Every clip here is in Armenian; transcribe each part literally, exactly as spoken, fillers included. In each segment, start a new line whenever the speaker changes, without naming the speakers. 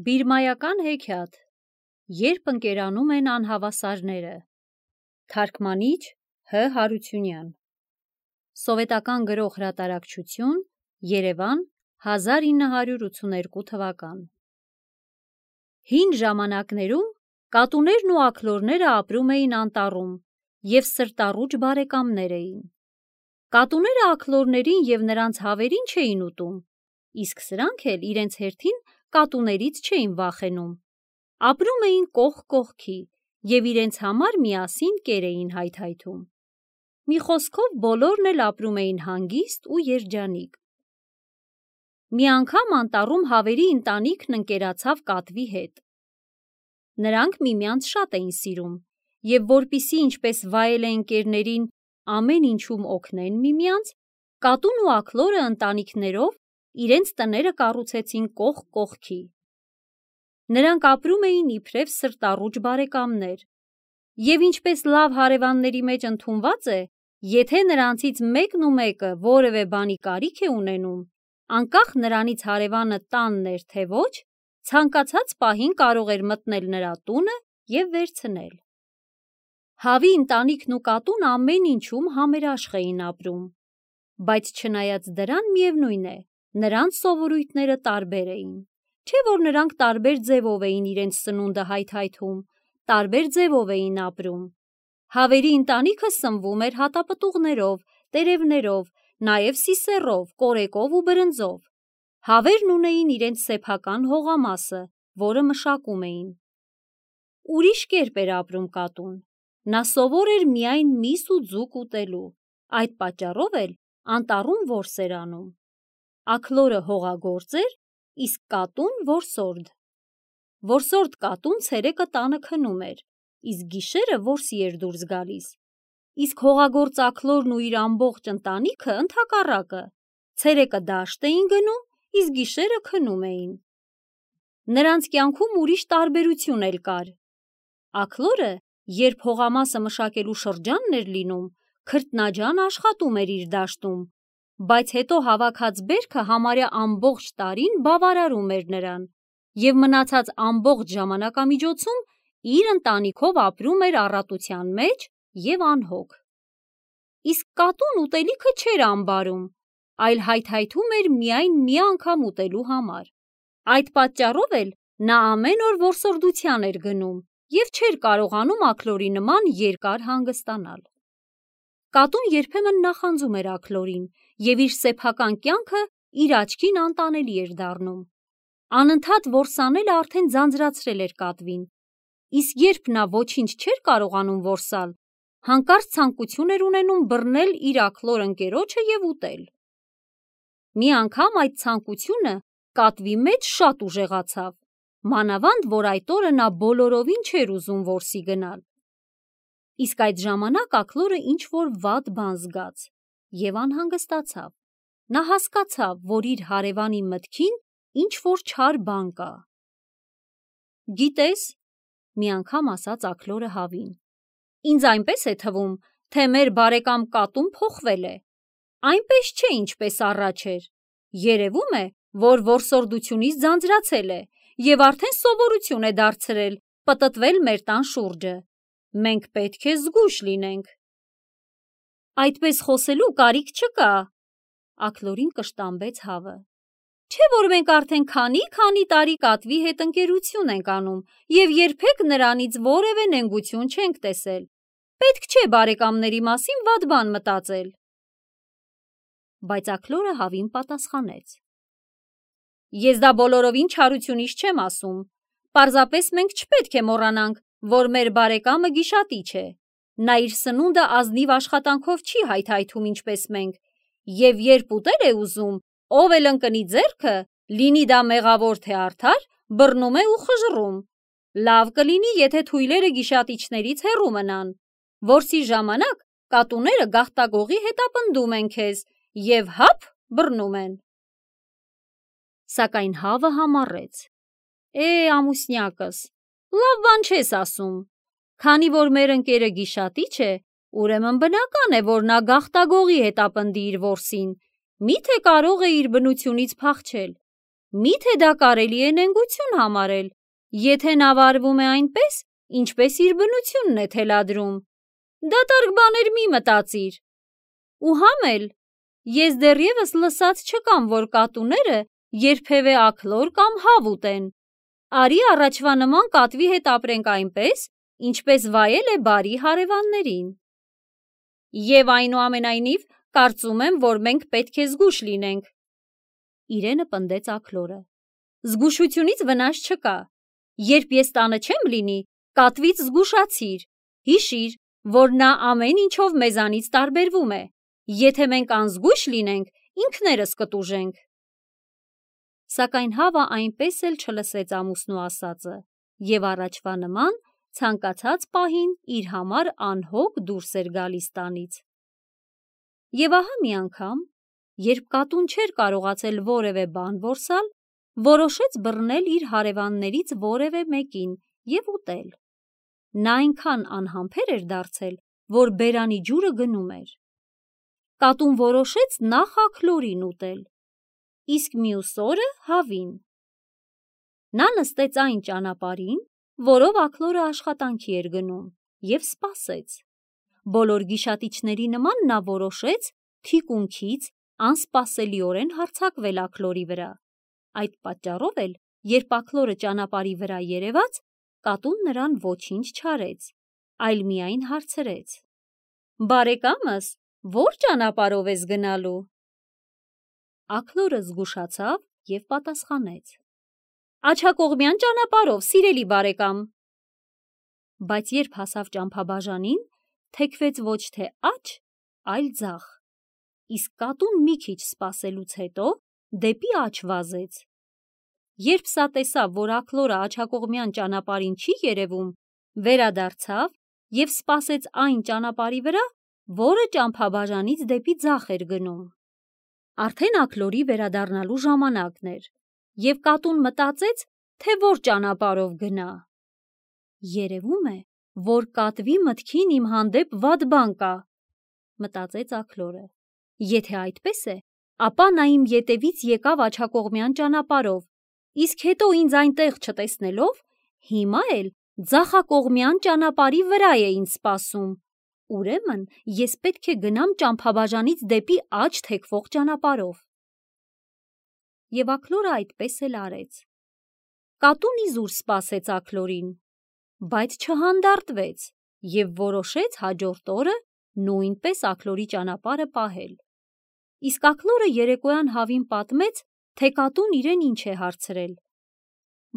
Բիրմայական հեքիաթ, երբ ընկերանում են անհավասարները, թարգմանիչ Հ. Հարությունյան, սովետական գրող հրատարակչություն, Երևան, հազար ինը հարյուր ութսուներկու թվական։ Հին ժամանակներում կատուներն ու աքլորները ապրում էին անտառում և սրտառուչ բարեկամներ էին։ Կատուները աքլորներին և նրանց հավերին չէին ուտում, իսկ սրանք էլ իրենց հերթին կատուներից չէին վախենում։ Ապրում էին կողք կողքի և իրենց համար միասին կեր էին հայթայթում։ Մի խոսքով բոլորն էլ ապրում էին հանգիստ ու երջանիկ։ Մի անգամ անտառում հավերի ընտանիքն ընկերացավ կատվի հետ։ Նրանք միմյանց շատ էին սիրում, և որպեսզի ինչպես վայել է ընկերներին ամեն ինչում օգնեն միմյանց, կատուն ու աքլորը ընտանիքներով իրենց տները կառուցեցին կողք կողքի։ Նրանք ապրում էին իբրև սրտառուչ բարեկամներ, և ինչպես լավ հարևանների մեջ ընդունված է, եթե նրանցից մեկն ու մեկը որևէ բանի կարիք է ունենում, անկախ նրանից հարևանը տանն էր թե ոչ, ցանկացած պահին կարող էր մտնել նրա տունը և վերցնել։ Հավի ընտանիքն ու կատուն ամեն ինչում համերաշխ էին ապրում, բայց չնայած դրան, միևնույն է, նրանց սովորույթները տարբեր էին, չէ՞ որ նրանք տարբեր ձևով էին իրենց սնունդը հայթայթում, տարբեր ձևով էին ապրում։ Հավերի ընտանիքը սնվում էր հատապտուղներով, տերևներով, նաև սիսեռով, կորեկով ու բրնձով։ Հավերն ունեին իրենց սեփական հողամասը, որը մշակում էին։ Ուրիշ կերպ էր ապրում կատուն։ Նա սովոր էր միայն միս ու ձուկ ուտելու, այդ պատճառով էլ անտառում որս էր անում։ Աքլորը հողագործ էր, իսկ կատուն որսորդ։ Որսորդ կատուն ցերեկը տանը քնում էր, իսկ գիշերը որսի էր դուրս գալիս, իսկ հողագործ աքլորն ու իր ամբողջ ընտանիքը ընդհակառակը, ցերեկը դաշտ էին գնում, իսկ գիշերը քնում էին։ Նրանց կյանքում ուրիշ տարբերություն էլ կար։ Աքլորը, երբ հողամասը մշակելու շրջանն էր լինում, քրտնաջան աշխատում էր իր դաշտում, բայց հետո հավաքած բերքը համարյա ամբողջ տարին բավարարում էր նրան, և մնացած ամբողջ ժամանակամիջոցում իր ընտանիքով ապրում էր առատության մեջ և անհոգ։ Իսկ կատուն ուտելիքը չէր ամբարում, այլ հայթայթում էր միայն մի անգամ ուտելու համար։ Այդ պատճառով էլ նա ամեն օր որսորդության էր գնում և չէր կարողանում աքլորի նման երկար հանգստանալ։ Կատուն երբեմն նախանձում էր աքլորին և իր սեփական կյանքը իր աչքին անտանելի էր դառնում։ Անընդհատ որսանելը արդեն ձանձրացրել էր կատվին, իսկ երբ նա ոչինչ չէր կարողանում որսալ, հանկարծ ցանկություն էր ունենում բռնել իր աքլոր ընկերոջը և ուտել։ Մի անգամ այդ ցանկությունը կատվի մեջ շատ ուժեղացավ, մանավանդ որ այդ օրը նա բոլորովին չէր ուզում որսի գնալ։ Իսկ այդ ժամանակ աքլորը ինչ-որ վատ բան զգաց և անհանգստացավ։ Նա հասկացավ, որ իր հարևանի մտքին ինչ-որ չար բան կա։ «Գիտես,- մի անգամ ասաց աքլորը հավին,- ինձ այնպես է թվում, թե մեր բարեկամ կատուն փոխվել է։ Այնպես չէ, ինչպես առաջ էր։ Երևում է, որ որսորդությունից ձանձրացել է և արդեն սովորություն է դարձրել պտտվել մեր տան շուրջը։ Մենք պետք է զգույշ լինենք»։ «Այդպես խոսելու կարիք չկա,- աքլորին կշտամբեց հավը,- չէ՞ որ մենք արդեն քանի՛-քանի տարի կատվի հետ ընկերություն ենք անում և երբեք նրանից որևէ նենգություն չենք տեսել։ Պետք չէ բարեկամների մասին վատ բան մտածել»։ Բայց աքլորը հավին պատասխանեց. «Ես դա բոլորովին չարությունից չեմ ասում։ Պարզապես մենք չպետք է մոռանանք, որ մեր բարեկամը գիշատիչ է։ Նա իր սնունդը ազնիվ աշխատանքով չի հայթայթում ինչպես մենք, և երբ ուտել է ուզում, ով էլ ընկնի ձեռքը, լինի դա մեղավոր թե արդար, բռնում է ու խժռում։ Լավ կլինի, եթե թույլերը գիշատիչներից հեռու մնան։ Որսի ժամանակ կատուները գաղտագողի հետապնդում են քեզ և հափ բռնում են»։ Սակայն հավը համառեց. «Է, ամուսնյակս, լավ բան չես ասում։ Քանի որ մեր ընկերը գիշատիչ է, ուրեմն բնական է, որ նա գաղտագողի հետապնդի իր որսին, մի՞թե կարող է իր բնությունից փախչել։ Միթե դա կարելի է նենգություն համարել, եթե նա վարվում է այնպես, ինչպես իր բնությունն է թելադրում։ Դատարկ բաներ մի մտածիր։ Ու համ էլ, ես դեռևս լսած չկամ, որ կատուները երբևէ աքլոր կամ հավ ուտեն։ Արի առաջվա նման կատվի հետ ապրենք այնպես, ինչպես վայել է բարի հարևաններին։ Եվ այնուամենայնիվ կարծում եմ, որ մենք պետք է զգույշ լինենք։ Իրենը պնդեց աքլորը։ Զգուշությունից վնաս չկա։ Երբ ես տանը չեմ լինի, կատվից զգուշացիր։ Հիշիր, որ նա ամեն ինչով մեզանից տարբերվում է։ Եթե մենք անզգույշ լինենք, ինքներս կտուժենք։ Սակայն հավը այնպես էլ չլսեց ամուսնու ասածը և առաջվա նման ցանկացած պահին իր համար անհոգ դուրս էր գալիս տանից։ Եվ ահա մի անգամ, երբ կատուն չէր կարողացել որևէ բան որսալ, որոշեց բռնել իր հարևաններից որևէ մեկին և ուտել։ Նա այնքան անհամբեր էր դարձել, որ բերանի ջուրը գնում էր։ Կատուն որոշեց նախ աքլորին ուտել, իսկ մյուս օրը հավին։ Նա նստեց այն ճանապարհին, որով աքլորը աշխատանքի էր գնում, և սպասեց։ Բոլոր գիշատիչների նման նա որոշեց թիկունքից անսպասելիորեն հարձակվել աքլորի վրա։ Այդ պատճառով էլ, երբ աքլորը ճանապարհի վրա երևաց, կատուն նրան ոչինչ չարեց, այլ միայն հարցրեց. «Բարեկամս, ո՞ր ճանապարհով ես գնալու»։ Աքլորը զգուշացավ և պատասխանեց. «Աջակողմյան ճանապարհով, սիրելի բարեկամ»։ Բայց երբ հասավ ճամփաբաժանին, թեքվեց ոչ թե աջ, այլ ձախ, իսկ կատուն մի քիչ սպասելուց հետո դեպի աջ վազեց։ Երբ սա տեսավ, որ աքլորը աջակողմյան ճանապարհին չի երևում, վերադարձավ և սպասեց այն ճանապարհի վրա, որը ճամփաբաժանից դեպի ձախ էր գնում։ Արդեն աքլորի վերադառնալու ժամանակն էր, և կատուն մտածեց, թե որ ճանապարհով գնա։ «Երևում է, որ կատվի մտքին իմ հանդեպ վատ բան կա», մտածեց աքլորը։ «Եթե այդպես է, ապա նա իմ ետևից եկավ աջակողմյան ճանապարհով, իսկ հետո ինձ այնտեղ չտեսնելով, հիմա էլ ձախակողմյան ճանապարհի վրա է ինձ սպասում։ Ուրեմն ես պետք է գնամ ճամփաբաժանից դեպի աջ թեքվող ճանապարհով»։ Եվ աքլորը այդպես էլ արեց։ Կատուն իզուր սպասեց աքլորին, բայց չհանդարտվեց և որոշեց հաջորդ օրը նույնպես աքլորի ճանապարհը պահել։ Իսկ աքլորը երեկոյան հավին պատմեց, թե կատուն իրեն ինչ է հարցրել։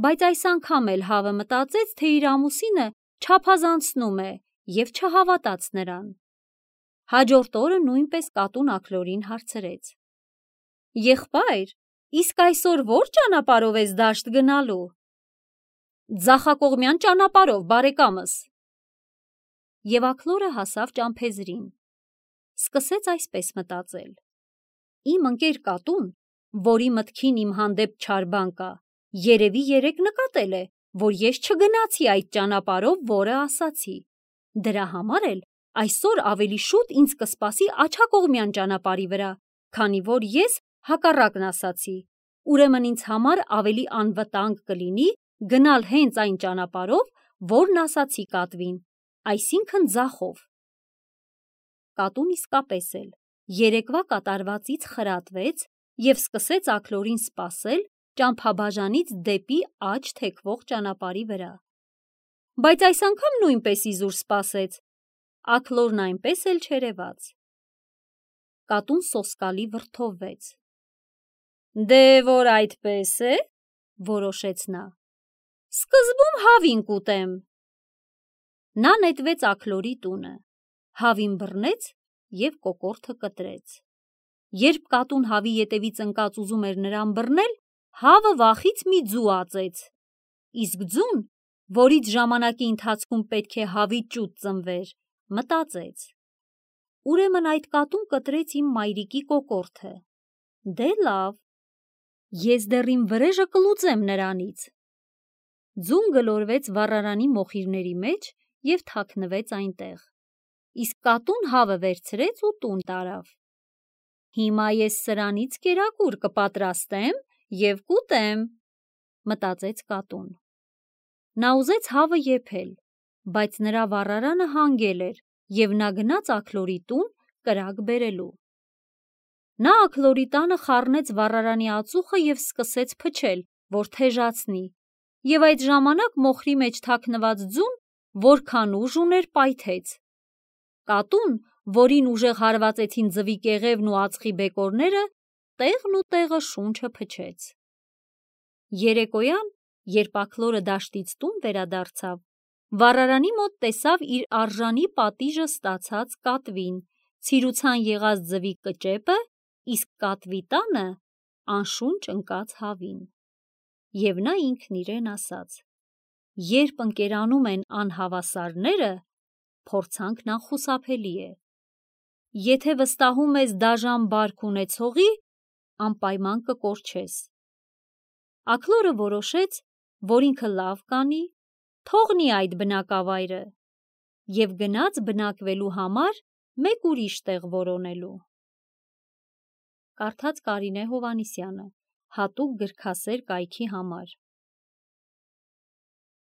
Բայց այս անգամ էլ հավը մտածեց, թե իր ամուսինը չափազանցնում է և չհավատաց նրան։ Հաջորդ օրը նույնպես կատուն աքլորին հարցրեց. «Եղբայր, իսկ այսօր ո՞ր ճանապարհով ես դաշտ գնալու»։ «Ձախակողմյան ճանապարհով, բարեկամս»։ Եվ աքլորը հասավ ճամփեզրին։ Սկսեց այսպես մտածել. «Իմ ընկեր կատուն, որի մտքին իմ հանդեպ չար բան կա, երևի երեկ նկատել է, որ ես չգնացի այդ ճանապարհով, որը ասացի։ Դրա համար էլ այսօր ավելի շուտ ինձ կսպասի աջակողմյան ճանապարհի վրա, քանի որ ես հակառակն ասացի։ Ուրեմն ինձ համար ավելի անվտանգ կլինի գնալ հենց այն ճանապարհով, որն ասացի կատվին, այսինքն ձախով»։ Կատուն իսկապես էլ երեկվա կատարվածից խրատվեց և սկսեց աքլորին սպասել ճամփաբաժանից դեպի աջ թեքվող ճանապարհի վրա։ Բայց այս անգամ նույնպես իզուր սպասեց։ Աքլորն այնպես էլ չերևաց։ Կատուն սոսկալի վրդովվեց։ «Դե որ այդպես է, որոշեց նա, սկզբում հավին կուտեմ»։ Նա նետվեց աքլորի տունը, հավին բռնեց և կոկորդը կտրեց։ Երբ կատուն հավի ետևից ընկած ուզում էր նրան բռնել, հավը վախից մի ձու ածեց։ Իսկ ձուն, որից ժամանակի ընթացքում պետք է հավի ճուտ ծնվեր, մտածեց. «Ուրեմն այդ կատուն կտրեց իմ մայրիկի կոկորդը։ Դե լավ, ես դեռ իմ վրեժը կլուծեմ նրանից»։ Ձուն գլորվեց վառարանի մոխիրների մեջ և թաքնվեց այնտեղ։ Իսկ կատուն հավը վերցրեց ու տուն տարավ։ «Հիմա ես սրանից կերակուր կպատրաստեմ և կուտեմ, մտածեց կատուն։ Նա ուզեց հավը եփել, բայց նրա վառարանը հանգել էր, և նա գնաց աքլորի տուն կրակ բերելու։ Նա աքլորի տանը խառնեց վառարանի ածուխը և սկսեց փչել, որ թեժացնի, և այդ ժամանակ մոխրի մեջ թաքնված ձուն որքան ուժ ուներ պայթեց։ Կատուն, որին ուժեղ հարվածեցին ձվի կեղևն ու ածխի բեկորները, տեղն ու տեղը շունչը փչեց։ Երեկոյան, երբ աքլորը դաշտից տուն վերադարձավ, վառարանի մոտ տեսավ իր արժանի պատիժը ստացած կատվին, ցիրուցան եղած ձվի կճեպը, իսկ կատվի տանը անշունչ ընկած հավին։ Եվ նա ինքն իրեն ասաց. «Երբ ընկերանում են անհավասարները, փորձանքն անխուսափելի է։ Եթե վստահում ես դաժան բարք ունեցողի, անպայման կկորչես»։ Աքլորը որոշեց, որ ինքը լավ կանի, թողնի այդ բնակավայրը և գնաց բնակվելու համար մեկ ուրիշ տեղ որոնելու։ Կարդաց Կարինե Հովհաննիսյանը, հատուկ գրքասեր կայքի համար։